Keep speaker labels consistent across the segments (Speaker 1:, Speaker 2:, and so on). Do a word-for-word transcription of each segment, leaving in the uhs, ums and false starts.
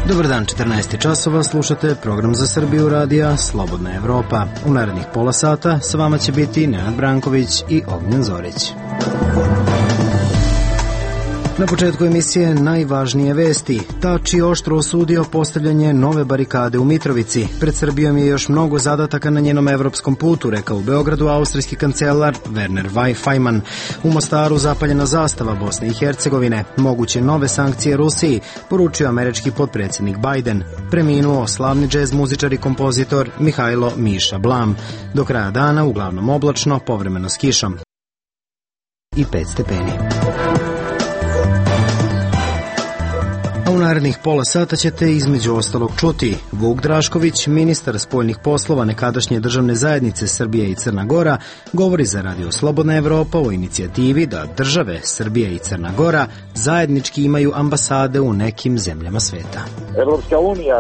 Speaker 1: Dobar dan, četrnaest časova, slušate program za Srbiju radija Slobodna Evropa. U narednih pola sata sa vama će biti Nenad Branković i Ognjen Zorić. Na početku emisije najvažnije vesti. Tači oštro osudio postavljanje nove barikade u Mitrovici. Pred Srbijom je još mnogo zadataka na njenom evropskom putu, rekao u Beogradu austrijski kancelar Werner Faymann. U Mostaru zapaljena zastava Bosne i Hercegovine. Moguće nove sankcije Rusiji, poručio američki potpredsjednik Biden. Preminuo slavni džez muzičar i kompozitor Mihajlo Miša Blam. Do kraja dana uglavnom oblačno, povremeno s kišom i pet stepeni. A u narednih pola sata ćete između ostalog čuti: Vuk Drašković, ministar spoljnih poslova nekadašnje državne zajednice Srbije i Crna Gora, govori za Radio Slobodna Evropa o inicijativi da države Srbija i Crna Gora zajednički imaju ambasade u nekim zemljama sveta.
Speaker 2: Evropska unija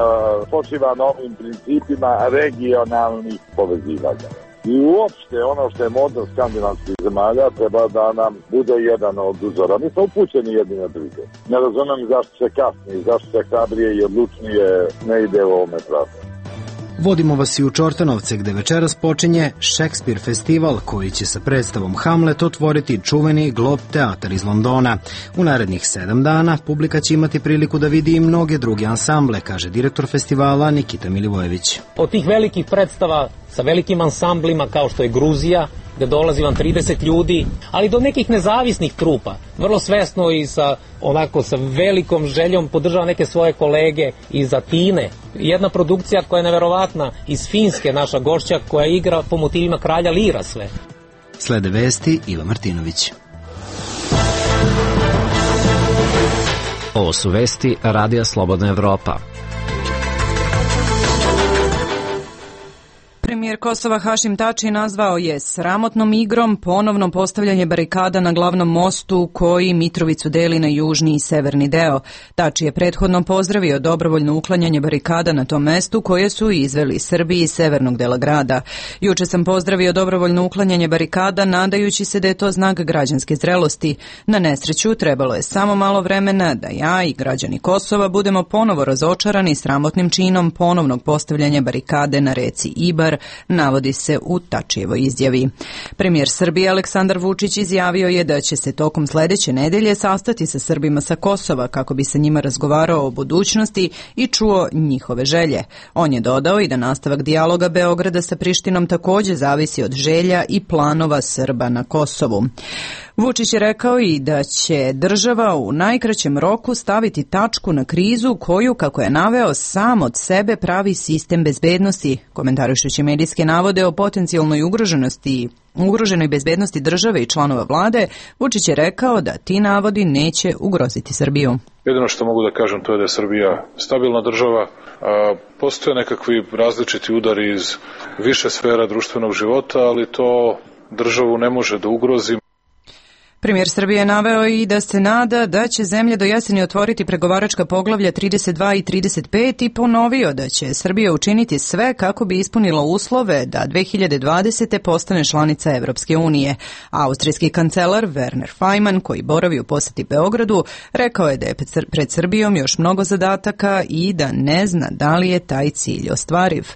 Speaker 2: počiva na ovim principima regionalnih povezivanja. I uopšte ono što je model skandinavskih zemalja treba da nam bude jedan od uzora. Mi smo upućeni jedni na druge. Ne razumijem zašto se kasni, zašto se hrabrije i odlučnije ne ide u ovome pravcu.
Speaker 1: Vodimo vas i u Čortanovce, gde večeras počinje Šekspir festival, koji će sa predstavom Hamlet otvoriti čuveni Globe teatar iz Londona. U narednih sedam dana publika će imati priliku da vidi i mnoge druge ansamble, kaže direktor festivala Nikita Milivojević.
Speaker 3: Od tih velikih predstava sa velikim ansamblima kao što je Gruzija, gde dolazi vam trideset ljudi, ali do nekih nezavisnih trupa, vrlo svesno i sa onako sa velikom željom podržava neke svoje kolege iz Atine. Jedna produkcija koja je neverovatna iz Finske, naša gošća, koja igra po motivima Kralja Lira sve.
Speaker 1: Slede vesti Iva Martinović.
Speaker 4: Ovo su vesti Radija Slobodna Evropa.
Speaker 5: Premijer Kosova Hašim Tači nazvao je sramotnom igrom ponovno postavljanje barikada na glavnom mostu koji Mitrovicu deli na južni i severni deo. Tači je prethodno pozdravio dobrovoljno uklanjanje barikada na tom mestu koje su izveli Srbiji iz severnog dela grada. Juče sam pozdravio dobrovoljno uklanjanje barikada nadajući se da je to znak građanske zrelosti. Na nesreću trebalo je samo malo vremena da ja i građani Kosova budemo ponovo razočarani sramotnim činom ponovnog postavljanja barikade na reci Ibar, navodi se u Tačijevoj izjavi. Premijer Srbije Aleksandar Vučić izjavio je da će se tokom sledeće nedelje sastati sa Srbima sa Kosova kako bi sa njima razgovarao o budućnosti i čuo njihove želje. On je dodao i da nastavak dijaloga Beograda sa Prištinom takođe zavisi od želja i planova Srba na Kosovu. Vučić je rekao i da će država u najkraćem roku staviti tačku na krizu koju, kako je naveo, sam od sebe pravi sistem bezbednosti. Komentarišući medijske navode o potencijalnoj ugroženosti ugroženoj bezbednosti države i članova vlade, Vučić je rekao da ti navodi neće ugroziti Srbiju.
Speaker 6: Jedino što mogu da kažem to je da je Srbija stabilna država. A postoje nekakvi različiti udari iz više sfera društvenog života, ali to državu ne može da ugrozi.
Speaker 5: Premijer Srbije je naveo i da se nada da će zemlja do jeseni otvoriti pregovaračka poglavlja trideset dva i trideset pet i ponovio da će Srbija učiniti sve kako bi ispunila uslove da dve hiljade dvadesete. postane članica Evropske unije. Austrijski kancelar Werner Faymann, koji boravi u poseti Beogradu, rekao je da je pred Srbijom još mnogo zadataka i da ne zna da li je taj cilj ostvariv.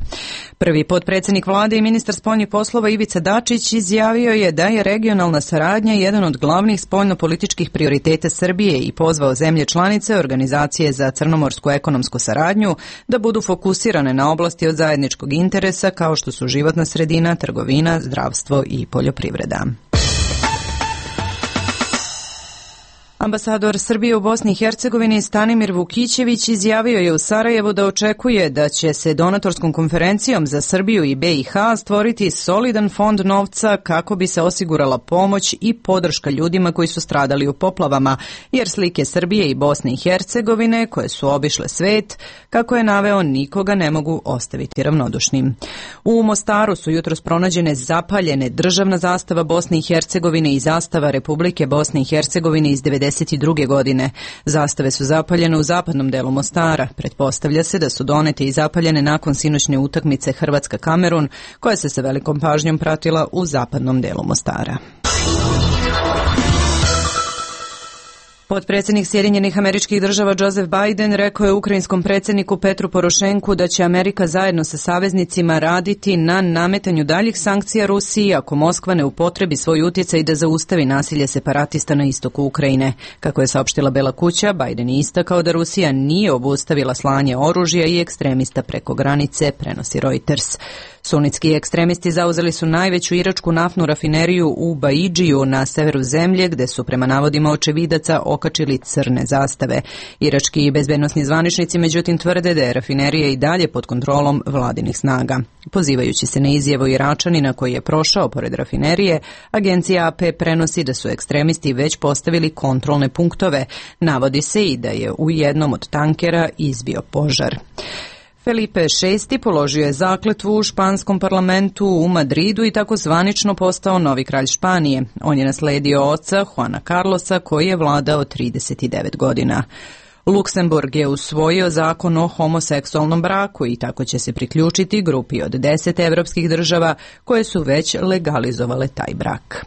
Speaker 5: Prvi potpredsjednik vlade i ministar spoljnih poslova Ivica Dačić izjavio je da je regionalna saradnja jedan od glavnih spoljnopolitičkih prioriteta Srbije i pozvao zemlje članice Organizacije za crnomorsku ekonomsku saradnju da budu fokusirane na oblasti od zajedničkog interesa kao što su životna sredina, trgovina, zdravstvo i poljoprivreda. Ambasador Srbije u Bosni i Hercegovini Stanimir Vukićević izjavio je u Sarajevu da očekuje da će se donatorskom konferencijom za Srbiju i B i H stvoriti solidan fond novca kako bi se osigurala pomoć i podrška ljudima koji su stradali u poplavama, jer slike Srbije i Bosne i Hercegovine koje su obišle svet, kako je naveo, nikoga ne mogu ostaviti ravnodušnim. U Mostaru su jutros pronađene zapaljene državna zastava Bosne i Hercegovine i zastava Republike Bosne i Hercegovine iz devedeset druge godine. Zastave su zapaljene u zapadnom delu Mostara. Pretpostavlja se da su donete i zapaljene nakon sinoćne utakmice Hrvatska-Kamerun, koja se sa velikom pažnjom pratila u zapadnom delu Mostara. Potpredsjednik Sjedinjenih Američkih Država Joseph Biden rekao je ukrajinskom predsjedniku Petru Porošenku da će Amerika zajedno sa saveznicima raditi na nametanju daljih sankcija Rusiji ako Moskva ne upotrebi svoj utjecaj da zaustavi nasilje separatista na istoku Ukrajine. Kako je saopštila Bela kuća, Biden je istakao da Rusija nije obustavila slanje oružja i ekstremista preko granice, prenosi Reuters. Sunitski ekstremisti zauzeli su najveću iračku naftnu rafineriju u Baidžiju na severu zemlje, gde su prema navodima očevidaca okačili crne zastave. Irački i bezbednosni zvaničnici međutim tvrde da je rafinerija i dalje pod kontrolom vladinih snaga. Pozivajući se na izjavu Iračanina koji je prošao pored rafinerije, agencija A P prenosi da su ekstremisti već postavili kontrolne punktove. Navodi se i da je u jednom od tankera izbio požar. Felipe šesti položio je zakletvu u španskom parlamentu u Madridu i tako zvanično postao novi kralj Španije. On je nasledio oca Juana Carlosa koji je vladao trideset devet godina. Luksemburg je usvojio zakon o homoseksualnom braku i tako će se priključiti grupi od deset evropskih država koje su već legalizovale taj brak.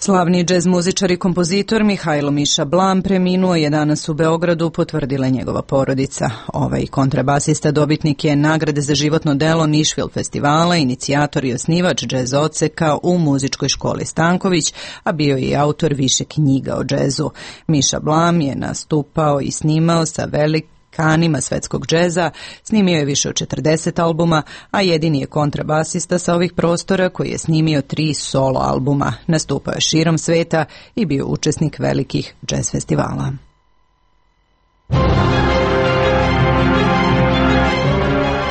Speaker 5: Slavni džez muzičar i kompozitor Mihajlo Miša Blam preminuo je danas u Beogradu, potvrdila je njegova porodica. Ovaj kontrabasista dobitnik je nagrade za životno delo Nišvil festivala, inicijator i osnivač džez odseka u muzičkoj školi Stanković, a bio je i autor više knjiga o džezu. Miša Blam je nastupao i snimao sa velik kanima svetskog džeza, snimio je više od četrdeset albuma, a jedini je kontrabasista sa ovih prostora koji je snimio tri solo albuma. Nastupao je širom sveta i bio učesnik velikih džez festivala.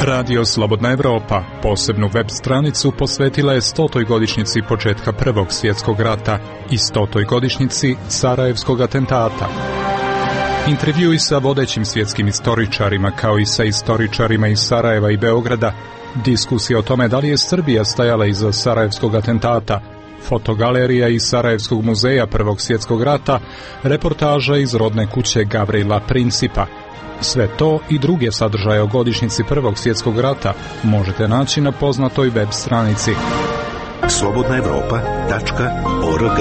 Speaker 7: Radio Slobodna Evropa posebnu web stranicu posvetila je stotoj godišnjici početka Prvog svjetskog rata i stotoj godišnjici Sarajevskog atentata. Intervjui sa vodećim svjetskim istoričarima kao i sa istoričarima iz Sarajeva i Beograda, diskusija o tome da li je Srbija stajala iza Sarajevskog atentata, fotogalerija iz Sarajevskog muzeja Prvog svjetskog rata, reportaža iz rodne kuće Gavrila Principa. Sve to i druge sadržaje o godišnjici Prvog svjetskog rata možete naći na poznatoj web stranici
Speaker 8: slobodna evropa tačka org.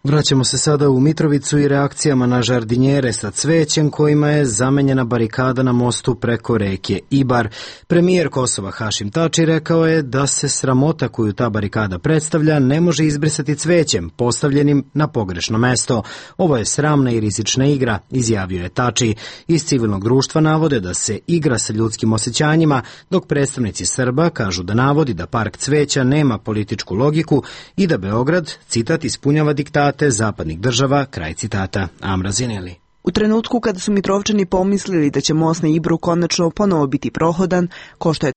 Speaker 1: Vraćamo se sada u Mitrovicu i reakcijama na žardinjere sa cvećem kojima je zamenjena barikada na mostu preko reke Ibar. Premijer Kosova Hašim Tači rekao je da se sramota koju ta barikada predstavlja ne može izbrisati cvećem postavljenim na pogrešno mesto. Ovo je sramna i rizična igra, izjavio je Tači. Iz civilnog društva navode da se igra sa ljudskim osjećanjima, dok predstavnici Srba kažu da navodi da park cveća nema političku logiku i da Beograd, citat, ispunjava diktat zapadnih država, kraj citata. Amra Zineli.
Speaker 9: U trenutku kada su Mitrovčani pomislili da će most na Ibru konačno ponovo biti prohodan, ko što je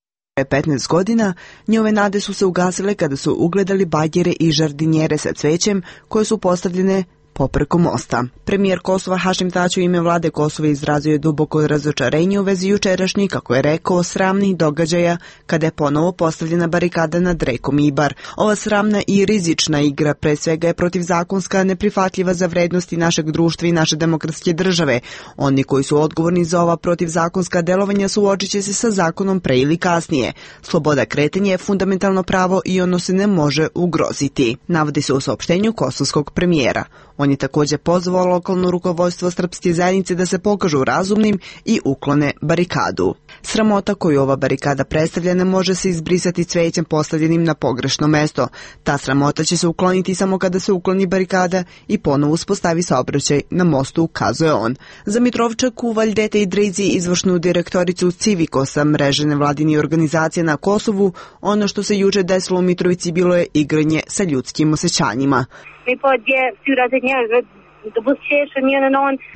Speaker 9: petnaest godina, njove nade su se ugasile kada su ugledali bagere i žardinjere sa cvećem koje su postavljene popreko mosta. Premijer Kosova Hašim Tači u ime vlade Kosova izrazio je duboko razočarenje u vezi jučerašnjih, kako je rekao, sramnih događaja kada je ponovo postavljena barikada nad rekom Ibar. Ova sramna i rizična igra pre svega je protivzakonska, neprihvatljiva za vrednosti našeg društva i naše demokratske države. Oni koji su odgovorni za ova protivzakonska delovanja suočit će se sa zakonom pre ili kasnije. Sloboda kretanja je fundamentalno pravo i ono se ne može ugroziti, navodi se u saopštenju kosovskog premijera. On je također pozvao lokalno rukovodstvo srpske zajednice da se pokažu razumnim i uklone barikadu. Sramota koju ova barikada predstavlja ne može se izbrisati cvećem postavljenim na pogrešno mesto. Ta sramota će se ukloniti samo kada se ukloni barikada i ponovo uspostavi saobraćaj na mostu, ukazuje on. Za Mitrovčaku, Valjdete i Drizi, izvršnu direktoricu Civikosa, mreže nevladinih organizacija na Kosovu, ono što se juče desilo u Mitrovici bilo je igranje sa ljudskim osjećanjima.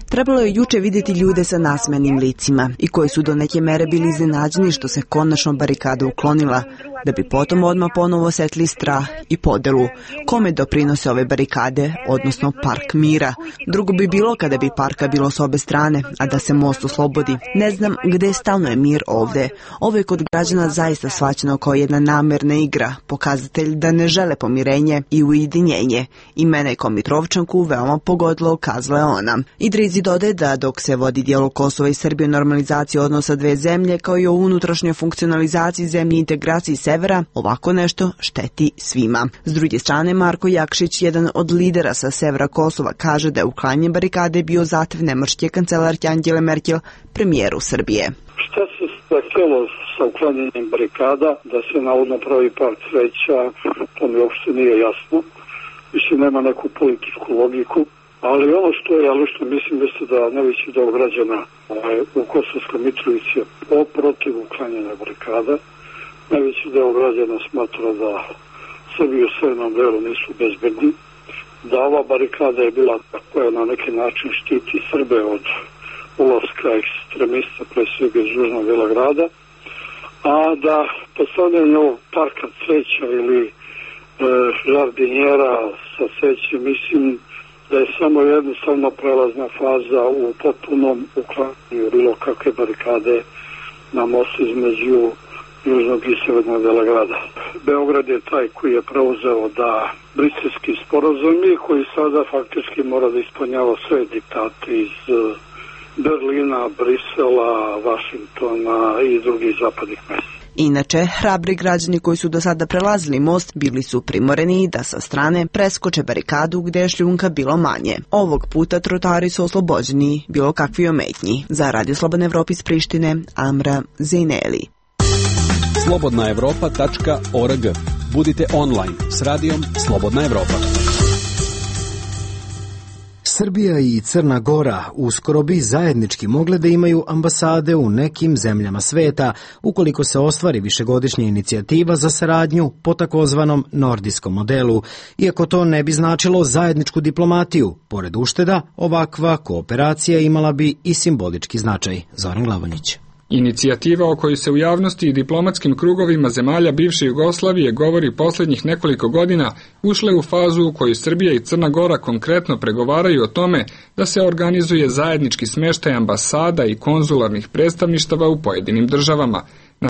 Speaker 9: Trebalo je juče vidjeti ljude sa nasmenim licima i koji su do neke mere bili iznenađeni što se konačno barikada uklonila, da bi potom odmah ponovo osjetili strah i podelu. Kome doprinose ove barikade, odnosno park mira? Drugo bi bilo kada bi parka bilo s obe strane, a da se most oslobodi. Ne znam gde stalno je mir ovde. Ovo je kod građana zaista shvaćeno kao jedna namerna igra, pokazatelj da ne žele pomirenje i ujedinjenje. I mene kao Mitrovčanku veoma pogodilo, ukazala je ona. Idrizi dodaje da dok se vodi dijalog Kosova i Srbije o normalizaciji odnosa dve zemlje, kao i o unutrašnjoj funkcionalizaciji zemlje i integraciji severa, ovako nešto šteti svima. S druge strane, Marko Jakšić, jedan od lidera sa severa Kosova, kaže da je uklanjanje barikade bio zahtev nemačke kancelarke Angele Merkel premijeru Srbije.
Speaker 10: Šta se zahtjelo sa uklanjanjem barikada, da se navodno pravi park cveća, to mi uopšte nije jasno. Mislim, nema neku političku logiku, ali ono što je, ali što mislim jeste da najveći deo građana u Kosovskoj Mitrovici je protiv uklanjanja barikada. Najveći deo građana smatra da Srbi u severnom delu nisu bezbedni, da ova barikada je bila koja na neki način štiti Srbe od ulaska ekstremista, pre svega iz južnog dela grada, a da postavljanje ovog parka cveća ili e, žardinjera sa cvećem, mislim da je samo jednostavno prelazna faza u potpunom uklanjanju bilo kakve barikade na mostu između južnog i severnog dela grada. Beograd je taj koji je preuzeo da briselski sporazumi, koji sada faktički mora da ispunjava sve diktate iz Berlina, Brisela, Vašingtona i drugih zapadnih mesta.
Speaker 9: Inače, hrabri građani koji su do sada prelazili most bili su primoreni da sa strane preskoče barikadu gde je šljunka bilo manje. Ovog puta trotari su oslobođeni bilo kakvi ometnji. Za Radio Slobodna Evropa iz Prištine, Amra Zejneli.
Speaker 11: slobodna evropa tačka org. Budite online s radijom Slobodna Evropa.
Speaker 1: Srbija i Crna Gora uskoro bi zajednički mogle da imaju ambasade u nekim zemljama sveta, ukoliko se ostvari višegodišnja inicijativa za saradnju po takozvanom nordijskom modelu. Iako to ne bi značilo zajedničku diplomatiju, pored ušteda, ovakva kooperacija imala bi i simbolički značaj. Zoran Glavonjić.
Speaker 12: Inicijativa o kojoj se u javnosti i diplomatskim krugovima zemalja bivše Jugoslavije govori posljednjih nekoliko godina ušle u fazu u kojoj Srbija i Crna Gora konkretno pregovaraju o tome da se organizuje zajednički smeštaj ambasada i konzularnih predstavništava u pojedinim državama. Na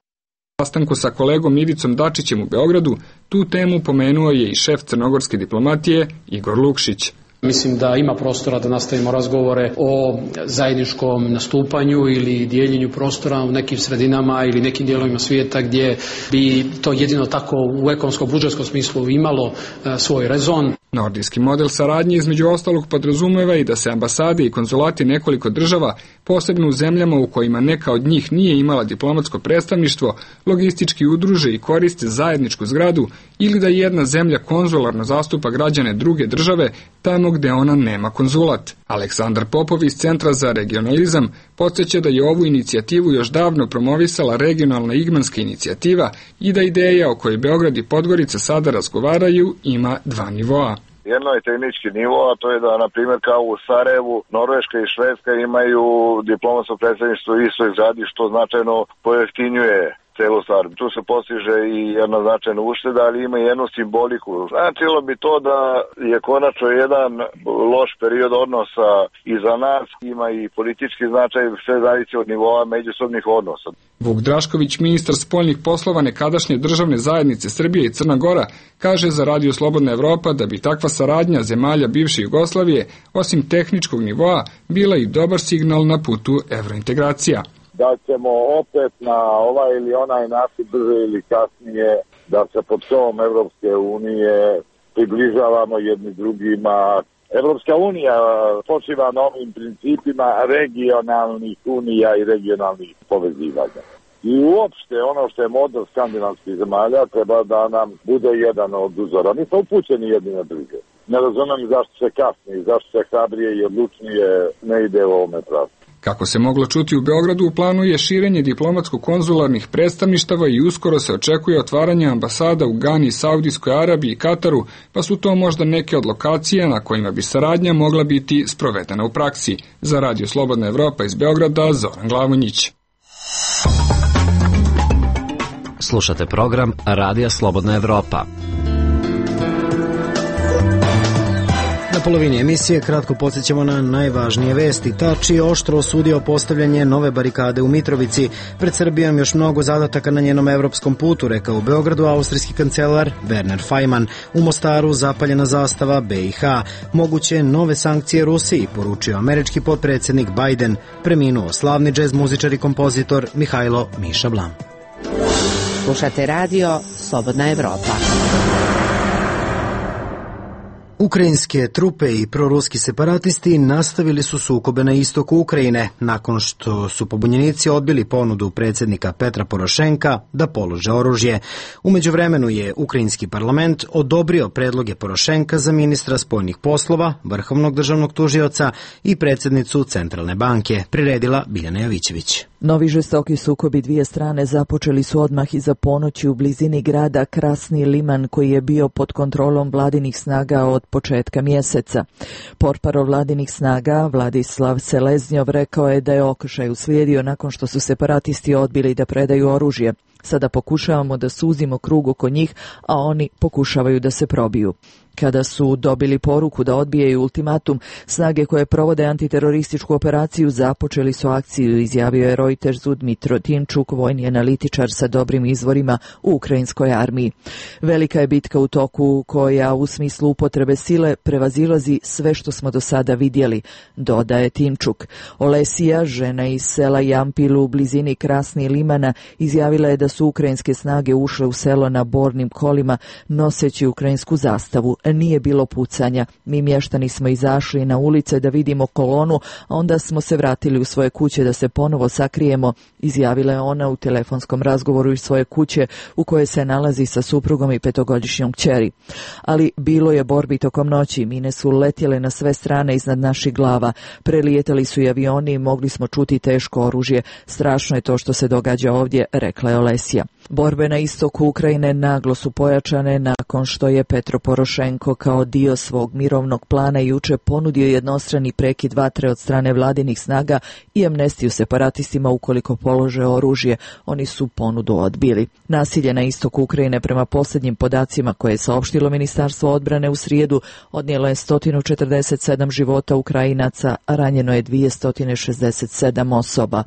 Speaker 12: sastanku sa kolegom Ivicom Dačićem u Beogradu tu temu pomenuo je i šef crnogorske diplomatije Igor Lukšić.
Speaker 13: Mislim da ima prostora da nastavimo razgovore o zajedničkom nastupanju ili dijeljenju prostora u nekim sredinama ili nekim dijelovima svijeta gdje bi to jedino tako u ekonomsko-budžetskom smislu imalo e, svoj rezon.
Speaker 12: Nordijski model saradnje između ostalog podrazumeva i da se ambasade i konzulati nekoliko država, posebno u zemljama u kojima neka od njih nije imala diplomatsko predstavništvo, logistički udruže i koriste zajedničku zgradu ili da jedna zemlja konzularno zastupa građane druge države tamo gde ona nema konzulat. Aleksandar Popov iz Centra za regionalizam podsjeća da je ovu inicijativu još davno promovisala regionalna igmanska inicijativa i da ideja o kojoj Beograd i Podgorica sada razgovaraju ima dva nivoa.
Speaker 2: Jedno je tehnički nivo, a to je da, na primjer, kao u Sarajevu, Norveška i Švedska imaju diplomatsko predstavništvo u istoj zgradi, što značajno pojeftinjuje celu stvar. Tu se postiže i jedna značajna ušteda, ali ima i jednu simboliku. Značilo bi to da je konačno jedan loš period odnosa iza nas, ima i politički značaj, sve zavisi od nivoa međusobnih odnosa.
Speaker 12: Vuk Drašković, ministar spoljnih poslova nekadašnje državne zajednice Srbije i Crna Gora, kaže za Radio Slobodna Evropa da bi takva saradnja zemalja bivše Jugoslavije, osim tehničkog nivoa, bila i dobar signal na putu evrointegracija.
Speaker 2: Da ćemo opet na ovaj ili onaj način brže ili kasnije da se pod slovom Evropske unije približavamo jedni drugima. Evropska unija počiva na ovim principima regionalnih unija i regionalnih povezivanja. I uopšte ono što je model skandinavskih zemalja treba da nam bude jedan od uzora. Mi smo upućeni jedni na druge. Ne razumem zašto se kasnije, zašto se hrabrije i odlučnije ne ide u ovome pravcu.
Speaker 12: Kako se moglo čuti u Beogradu, u planu je širenje diplomatsko-konzularnih predstavništava i uskoro se očekuje otvaranje ambasada u Gani, Saudijskoj Arabiji i Kataru, pa su to možda neke od lokacija na kojima bi saradnja mogla biti sprovedena u praksi. Za Radio Slobodna Evropa iz Beograda, Zoran Glavonjić.
Speaker 4: Slušate program Radija Slobodna Evropa.
Speaker 1: Na polovini emisije kratko podsjećamo na najvažnije vesti. Tači je oštro osudio postavljanje nove barikade u Mitrovici. Pred Srbijom još mnogo zadataka na njenom evropskom putu, rekao u Beogradu austrijski kancelar Werner Faymann. U Mostaru zapaljena zastava B i H. Moguće nove sankcije Rusiji, poručio američki potpredsjednik Biden. Preminuo slavni džez muzičar i kompozitor Mihajlo Miša Blam.
Speaker 14: Slušate radio Slobodna Evropa.
Speaker 1: Ukrajinske trupe i proruski separatisti nastavili su sukobe na istoku Ukrajine nakon što su pobunjenici odbili ponudu predsjednika Petra Porošenka da polože oružje. U međuvremenu je ukrajinski parlament odobrio predloge Porošenka za ministra spoljnih poslova, vrhovnog državnog tužioca i predsjednicu Centralne banke, priredila Biljana Jovićević.
Speaker 15: Novi žestoki sukobi dvije strane započeli su odmah iza ponoći u blizini grada Krasni Liman, koji je bio pod kontrolom vladinih snaga od početka mjeseca. Portparol vladinih snaga Vladislav Seleznjov rekao je da je okršaj uslijedio nakon što su separatisti odbili da predaju oružje. Sada pokušavamo da suzimo krug oko njih, a oni pokušavaju da se probiju. Kada su dobili poruku da odbijaju ultimatum, snage koje provode antiterorističku operaciju započeli su akciju, izjavio je Reutersu Dmitro Timčuk, vojni analitičar sa dobrim izvorima u ukrajinskoj armiji. Velika je bitka u toku koja u smislu upotrebe sile prevazilazi sve što smo do sada vidjeli, dodaje Timčuk. Olesija, žena iz sela Jampil u blizini Krasni Limana, izjavila je da su ukrajinske snage ušle u selo na bornim kolima noseći ukrajinsku zastavu. Nije bilo pucanja. Mi mještani smo izašli na ulice da vidimo kolonu, a onda smo se vratili u svoje kuće da se ponovo sakrijemo, izjavila je ona u telefonskom razgovoru iz svoje kuće u kojoj se nalazi sa suprugom i petogodišnjom kćeri. Ali bilo je borbi tokom noći, mine su letjele na sve strane iznad naših glava, prelijetali su i avioni i mogli smo čuti teško oružje. Strašno je to što se događa ovdje, rekla je Olesija. Borbe na istoku Ukrajine naglo su pojačane nakon što je Petro Porošenko kao dio svog mirovnog plana juče ponudio jednostrani prekid vatre od strane vladinih snaga i amnestiju separatistima ukoliko polože oružje. Oni su ponudu odbili. Nasilje na istoku Ukrajine prema posljednjim podacima koje je saopštilo Ministarstvo odbrane u srijedu odnijelo je sto četrdeset sedam života Ukrajinaca, a ranjeno je dvjesto šezdeset sedam osoba.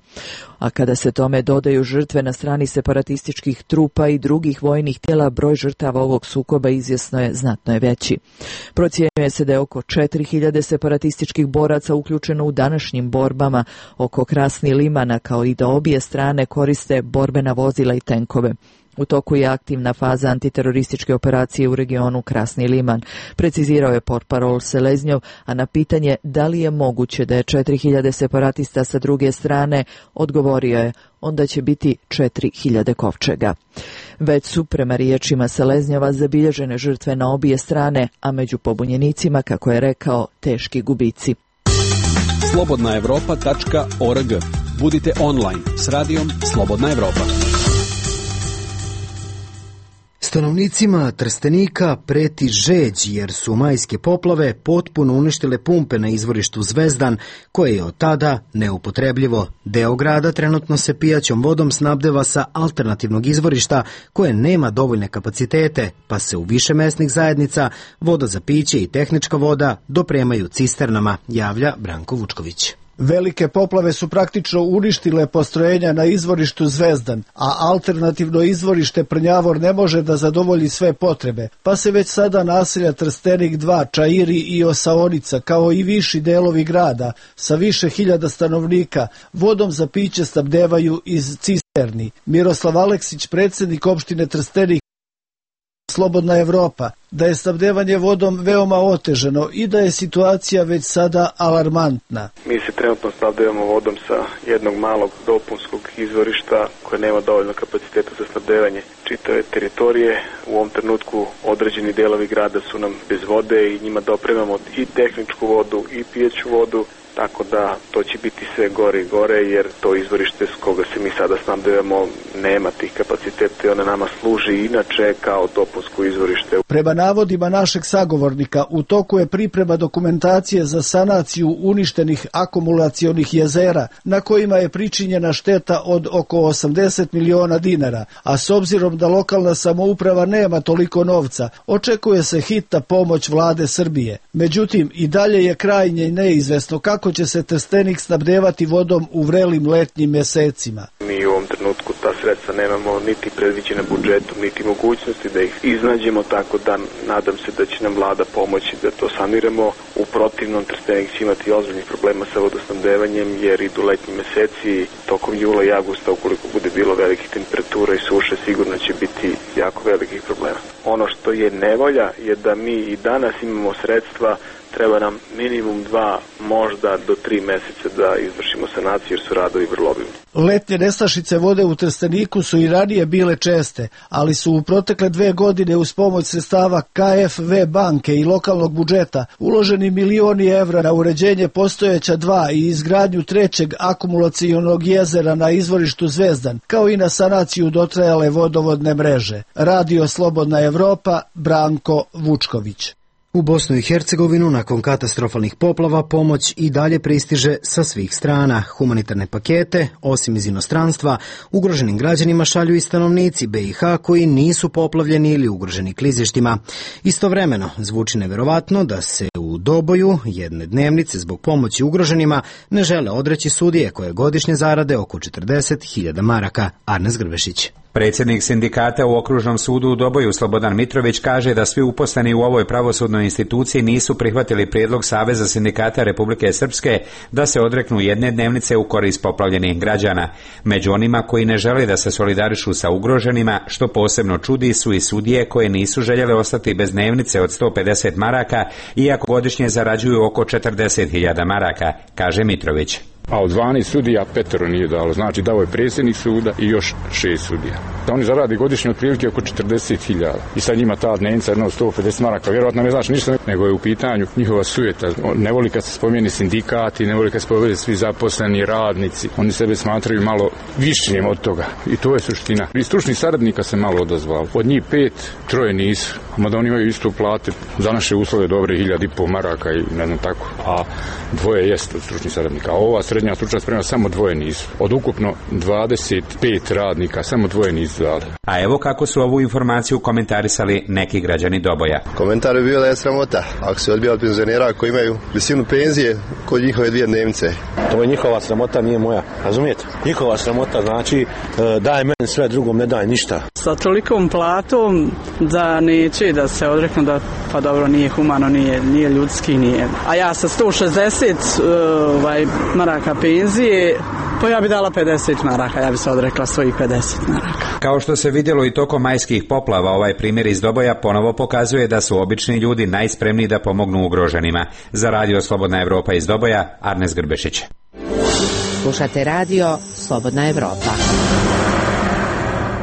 Speaker 15: A kada se tome dodaju žrtve na strani separatističkih trupa i drugih vojnih tijela, broj žrtava ovog sukoba izvjesno je znatno je veći. Procjenjuje se da je oko četiri hiljade separatističkih boraca uključeno u današnjim borbama oko Krasni Limana, kao i da obje strane koriste borbena vozila i tenkove. U toku je aktivna faza antiterorističke operacije u regionu Krasni Liman, precizirao je portparol Seleznjov, a na pitanje da li je moguće da je četiri hiljade separatista sa druge strane, odgovorio je onda će biti četiri hiljade kovčega. Već su, prema riječima Seleznjova, zabilježene žrtve na obje strane, a među pobunjenicima, kako je rekao, teški gubici.
Speaker 11: slobodna evropa tačka org. Budite online s radijom Slobodna Evropa.
Speaker 1: Stanovnicima Trstenika preti žeđ jer su majske poplave potpuno uništile pumpe na izvorištu Zvezdan, koje je od tada neupotrebljivo. Deo grada trenutno se pijaćom vodom snabdeva sa alternativnog izvorišta koje nema dovoljne kapacitete, pa se u više mesnih zajednica voda za piće i tehnička voda dopremaju cisternama, javlja Branko Vučković.
Speaker 16: Velike poplave su praktično uništile postrojenja na izvorištu Zvezdan, a alternativno izvorište Prnjavor ne može da zadovolji sve potrebe, pa se već sada naselja Trstenik dva, Čairi i Osaonica, kao i viši delovi grada, sa više hiljada stanovnika, vodom za piće snabdevaju iz cisterni. Miroslav Aleksić, predsjednik opštine Trstenik, Slobodna Evropa, da je snabdevanje vodom veoma otežano i da je situacija već sada alarmantna.
Speaker 17: Mi se trenutno snabdevamo vodom sa jednog malog dopunskog izvorišta koje nema dovoljno kapaciteta za snabdevanje čitave teritorije. U ovom trenutku određeni delovi grada su nam bez vode i njima dopremamo i tehničku vodu i pijeću vodu. Tako da to će biti sve gore i gore jer to izvorište s koga se mi sada snabdevamo nema tih kapaciteta i ona nama služi inače kao dopunsko izvorište.
Speaker 16: Prema navodima našeg sagovornika, u toku je priprema dokumentacije za sanaciju uništenih akumulacionih jezera na kojima je pričinjena šteta od oko osamdeset miliona dinara, a s obzirom da lokalna samouprava nema toliko novca, očekuje se hitna pomoć vlade Srbije. Međutim, i dalje je krajnje neizvesno kako će se Trstenik snabdevati vodom u vrelim letnjim mjesecima.
Speaker 17: Mi u ovom ovom trenutku ta sredstva nemamo niti predviđena budžetom, niti mogućnosti da ih iznađemo, tako da nadam se da će nam vlada pomoći da to saniramo. U protivnom Trstenik će imati ozbiljnih problema sa vodosnabdevanjem jer idu letnji meseci, tokom jula i avgusta ukoliko bude bilo velikih temperatura i suše sigurno će biti jako velikih problema. Ono što je nevolja je da mi i danas imamo sredstva, treba nam minimum dva, možda do tri meseca da izvršimo sanaciju jer su radovi vrlo obimni.
Speaker 16: Letnje nestašice vode u Trsteniku su i ranije bile česte, ali su u protekle dve godine uz pomoć sredstava K F V banke i lokalnog budžeta uloženi milioni evra na uređenje postojeća dva i izgradnju trećeg akumulacionog jezera na izvorištu Zvezdan, kao i na sanaciju dotrajale vodovodne mreže. Radio Slobodna Evropa, Branko Vučković.
Speaker 1: U Bosnu i Hercegovinu nakon katastrofalnih poplava pomoć i dalje pristiže sa svih strana. Humanitarne pakete, osim iz inostranstva, ugroženim građanima šalju i stanovnici B i H koji nisu poplavljeni ili ugroženi klizištima. Istovremeno zvuči neverovatno da se u Doboju jedne dnevnice zbog pomoći ugroženima ne žele odreći sudije koje godišnje zarade oko četrdeset hiljada maraka. Arnes Grbešić.
Speaker 18: Predsjednik sindikata u Okružnom sudu u Doboju Slobodan Mitrović kaže da svi uposleni u ovoj pravosudnoj instituciji nisu prihvatili prijedlog Saveza sindikata Republike Srpske da se odreknu jedne dnevnice u korist poplavljenih građana. Među onima koji ne žele da se solidarišu sa ugroženima, što posebno čudi, su i sudije koje nisu željele ostati bez dnevnice od sto pedeset maraka, iako godišnje zarađuju oko četrdeset hiljada maraka, kaže Mitrović.
Speaker 19: A od dvanaest sudija petero nije dalo, znači dao je predsjednik suda i još šest sudija. Oni zaradi godišnje otprilike oko četrdeset hiljada i sad njima ta dnevnica jedno sto pedeset maraka, vjerojatno ne znači ništa, nego je u pitanju njihova sujeta. Ne voli kad se spomeni sindikati, ne voli kad se spomeni svi zaposleni radnici, oni sebe smatraju malo višćim od toga i to je suština. I stručnih saradnika se malo odazvalo, od njih pet, troje nisu, mada oni imaju isto plate za naše uslove dobre hiljad i po maraka i ne znam tako, a dvoje jest od stručnih saradnika, a ova srednja stručna sprema samo dvoje nisu. Od ukupno dvadeset pet radnika samo dvoje nisu dali.
Speaker 18: A evo kako su ovu informaciju komentarisali neki građani Doboja.
Speaker 20: Komentar je bio da je sramota ako se odbija od penzionera koji imaju visinu penzije kod njihove dvije dnevnice.
Speaker 21: To je njihova sramota, nije moja. Razumijete? Njihova sramota znači daj meni sve, drugom ne daj ništa.
Speaker 22: Sa tolikom platom da neće da se odreknu da pa dobro nije humano, nije, nije ljudski, nije. A ja sa sto šezdeset ovaj, maraka penzije, pa ja bi dala pedeset maraka, ja bi se odrekla svojih pedeset maraka.
Speaker 18: Kao što se vidjelo i tokom majskih poplava, ovaj primjer iz Doboja ponovo pokazuje da su obični ljudi najspremniji da pomognu ugroženima. Za Radio Slobodna Evropa iz Doboja, Arnes Grbešić.
Speaker 14: Slušate Radio Slobodna Evropa.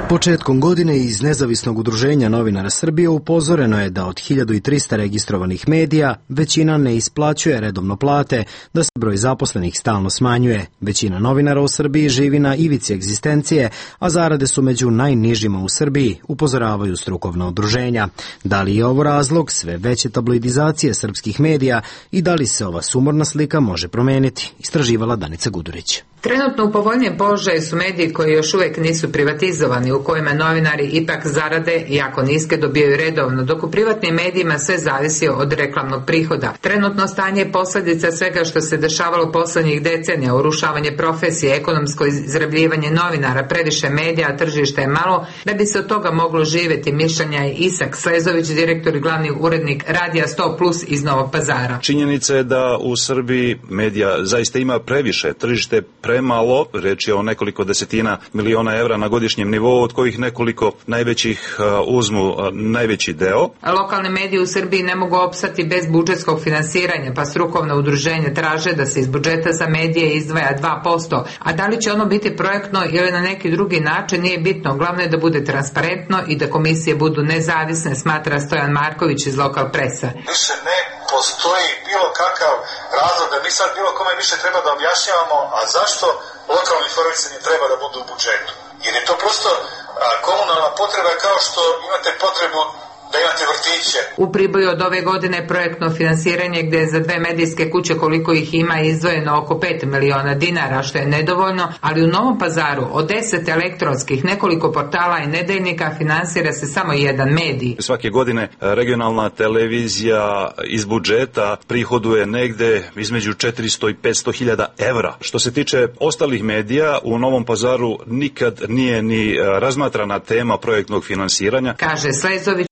Speaker 1: Početkom godine iz Nezavisnog udruženja novinara Srbije upozoreno je da od hiljadu trista registrovanih medija većina ne isplaćuje redovno plate, da se broj zaposlenih stalno smanjuje. Većina novinara u Srbiji živi na ivici egzistencije, a zarade su među najnižima u Srbiji, upozoravaju strukovna udruženja. Da li je ovo razlog sve veće tabloidizacije srpskih medija i da li se ova sumorna slika može promeniti? Istraživala Danica Gudurić.
Speaker 23: Trenutno u povoljnijem položaju su mediji koji još uvijek nisu privatizovani, u kojima novinari ipak zarade jako niske dobijaju redovno, dok u privatnim medijima sve zavisi od reklamnog prihoda. Trenutno stanje je posljedica svega što se dešavalo posljednjih decenija, urušavanje profesije, ekonomsko izrabljivanje novinara, previše medija, tržište je malo, da bi se od toga moglo živjeti, mišljenja je Isak Slezović, direktor i glavni urednik Radija sto plus iz Novog Pazara.
Speaker 24: Činjenica je da u Srbiji medija zaista ima previše, tržište premalo, reč je o nekoliko desetina miliona evra na godišnjem nivou, od kojih nekoliko najvećih uh, uzmu uh, najveći deo.
Speaker 23: Lokalni mediji u Srbiji ne mogu opstati bez budžetskog finansiranja, pa strukovna udruženja traže da se iz budžeta za medije izdvaja dva posto, a da li će ono biti projektno ili na neki drugi način nije bitno, glavno je da bude transparentno i da komisije budu nezavisne, smatra Stojan Marković iz Lokal Presa.
Speaker 25: Više ne postoji bilo kakav razlog da mi sad bilo kome više treba da objašnjavamo, a zašto lokalni informisanje treba da budu u budžetu. Jer je to prosto a, komunalna potreba, kao što imate potrebu da imate vrtiće.
Speaker 23: U Priboju od ove godine projektno finansiranje gdje je za dve medijske kuće koliko ih ima izdvojeno oko pet miliona dinara, što je nedovoljno, ali u Novom Pazaru od deset elektronskih, nekoliko portala i nedeljnika finansira se samo jedan medij.
Speaker 24: Svake godine regionalna televizija iz budžeta prihoduje negde između četiristo i petsto hiljada evra. Što se tiče ostalih medija, u Novom Pazaru nikad nije ni razmatrana tema projektnog finansiranja.
Speaker 23: Kaže Slezović,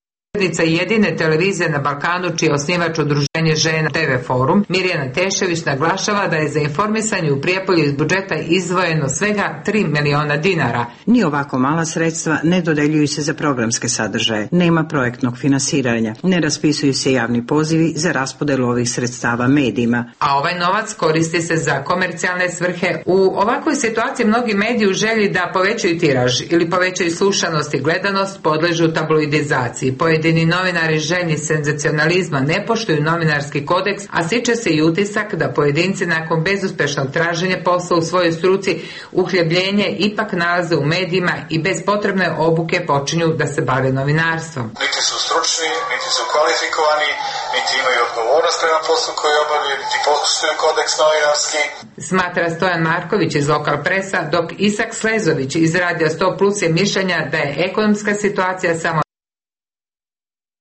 Speaker 23: jedine televizije na Balkanu čiji je osnivač udruženje žena T V Forum, Mirjana Tešević naglašava da je za informisanje u Prijepolju iz budžeta izdvojeno svega tri miliona dinara.
Speaker 3: Ni ovako mala sredstva ne dodeljuju se za programske sadržaje, nema projektnog finansiranja, ne raspisuju se javni pozivi za raspodelu ovih sredstava medijima.
Speaker 23: A ovaj novac koristi se za komercijalne svrhe. U ovakvoj situaciji mnogi mediji u želji da povećaju tiraž ili povećaju slušanost i gledanost podležu tabloidizaciji. Pojedini novinari željni senzacionalizma ne poštuju novinarski kodeks, a stiče se i utisak da pojedinci nakon bezuspešnog traženja posla u svojoj struci uhljebljenje ipak nalaze u medijima i bez potrebne obuke počinju da se bave novinarstvom.
Speaker 25: Niti su stručni, niti su kvalifikovani, niti imaju odgovornost prema poslu koji obavljaju, niti poštuju kodeks novinarski.
Speaker 23: Smatra Stojan Marković iz Lokal Presa, dok Isak Slezović iz Radija sto plus je mišljenja da je ekonomska situacija samo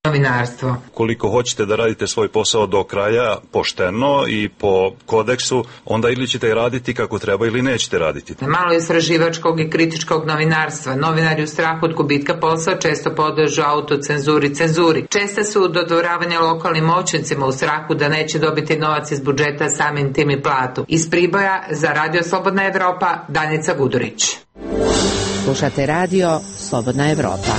Speaker 23: novinarstvo.
Speaker 24: Koliko hoćete da radite svoj posao do kraja pošteno i po kodeksu, onda ili ćete raditi kako treba ili nećete raditi.
Speaker 23: Malo istraživačkog i kritičkog novinarstva. Novinari u strahu od gubitka posla često podležu autocenzuri, cenzuri. Česte su dodvoravanja lokalnim moćnicima u strahu da neće dobiti novac iz budžeta, samim tim i platu. Iz Priboja za Radio Slobodna Evropa, Danica Gudurić.
Speaker 14: Slušate Radio Slobodna Evropa.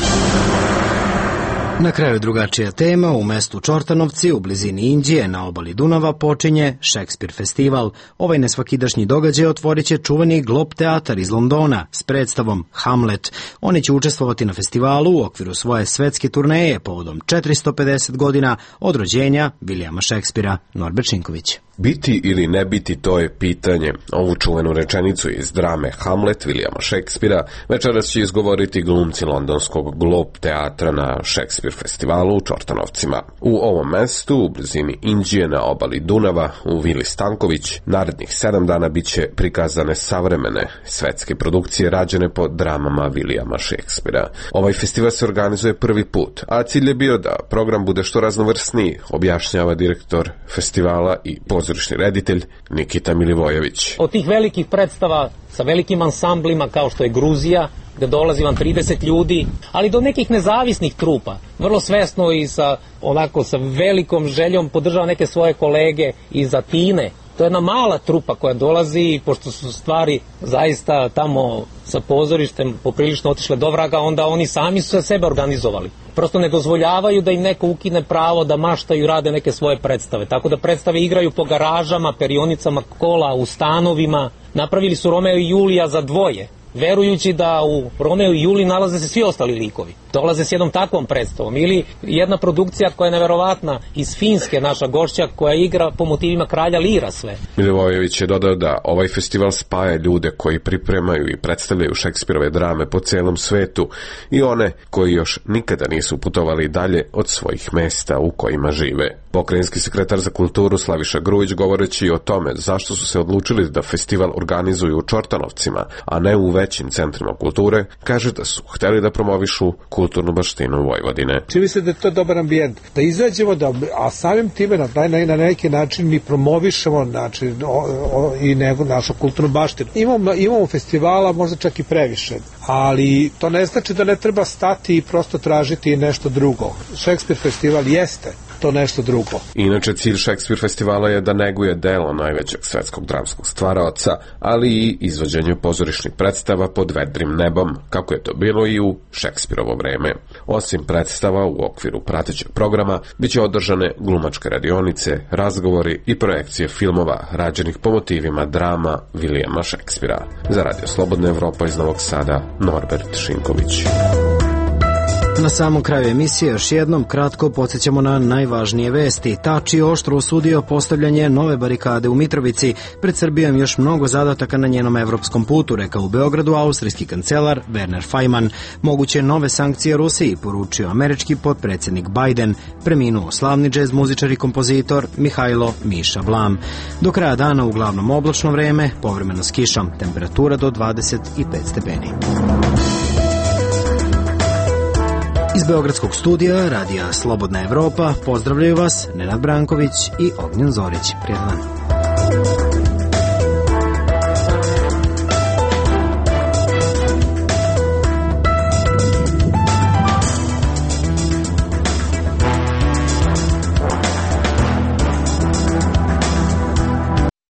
Speaker 1: Na kraju drugačija tema, u mestu Čortanovci, u blizini Inđije, na obali Dunava, počinje Šekspir festival. Ovaj nesvakidašnji događaj otvorit će čuveni Globe teatar iz Londona s predstavom Hamlet. Oni će učestvovati na festivalu u okviru svoje svetske turneje povodom četiristo pedeset godina od rođenja Vilijama Šekspira. Norbert Šinković.
Speaker 5: Biti ili ne biti, to je pitanje. Ovu čuvenu rečenicu iz drame Hamlet Vilijama Šekspira večeras će izgovoriti glumci londonskog Globe teatra na Šekspir festivalu u Čortanovcima. U ovom mestu, u blizini Inđije na obali Dunava, u Vili Stanković, narednih sedam dana biće prikazane savremene svetske produkcije rađene po dramama Vilijama Šekspira. Ovaj festival se organizuje prvi put, a cilj je bio da program bude što raznovrsniji, objašnjava direktor festivala i pozorišni reditelj Nikita Milivojević.
Speaker 6: Od tih velikih predstava sa velikim ansamblima kao što je Gruzija, gde dolazi vam trideset ljudi, ali do nekih nezavisnih trupa, vrlo svesno i sa onako sa velikom željom podržava neke svoje kolege iz Atine. To je jedna mala trupa koja dolazi i pošto su stvari zaista tamo sa pozorištem poprilično otišle do vraga, onda oni sami su se sebe organizovali. Prosto ne dozvoljavaju da im neko ukine pravo da maštaju i rade neke svoje predstave. Tako da predstave igraju po garažama, perionicama kola, u stanovima. Napravili su Romeo i Julija za dvoje, verujući da u Romeo i Juliji nalaze se svi ostali likovi. Dolaze s jednom takvom predstavom. Ili jedna produkcija koja je neverovatna iz Finske, naša gošća, koja igra po motivima kralja Lira sve.
Speaker 5: Milivojević je dodao da ovaj festival spaja ljude koji pripremaju i predstavljaju Šekspirove drame po celom svetu i one koji još nikada nisu putovali dalje od svojih mesta u kojima žive. Pokrajinski sekretar za kulturu Slaviša Grujić, govoreći o tome zašto su se odlučili da festival organizuju u Čortanovcima, a ne u većim centrima kulture, kaže da su hteli da promovišu kulturnu baštinu Vojvodine.
Speaker 7: Čini se da je to dobar ambijent, da izađemo, da, a samim time na, na, na neki način mi promovišemo znači, o, o, i nego našu kulturnu baštinu. Imamo, imamo festivala možda čak i previše, ali to ne znači da ne treba stati i prosto tražiti nešto drugo. Šekspir festival jeste to nešto drugo.
Speaker 5: Inače, cilj Šekspir festivala je da neguje delo najvećeg svetskog dramskog stvaraoca, ali i izvođenje pozorišnih predstava pod vedrim nebom, kako je to bilo i u Šekspirovo vreme. Osim predstava u okviru pratećeg programa, biće održane glumačke radionice, razgovori i projekcije filmova rađenih po motivima drama Vilijama Šekspira. Za Radio Slobodna Evropa iz Novog Sada, Norbert Šinković.
Speaker 1: Na samom kraju emisije još jednom kratko podsjećamo na najvažnije vesti. Tači oštro osudio postavljanje nove barikade u Mitrovici. Pred Srbijom još mnogo zadataka na njenom evropskom putu, rekao u Beogradu austrijski kancelar Werner Faymann. Moguće nove sankcije Rusiji, poručio američki potpredsjednik Biden. Preminuo slavni džez muzičar i kompozitor Mihajlo Miša Blam. Do kraja dana uglavnom oblačno vreme, povremeno s kišom, temperatura do dvadeset pet stepeni. Iz Beogradskog studija Radija Slobodna Evropa pozdravljaju vas Nenad Branković i Ognjen Zorić. Prijedan.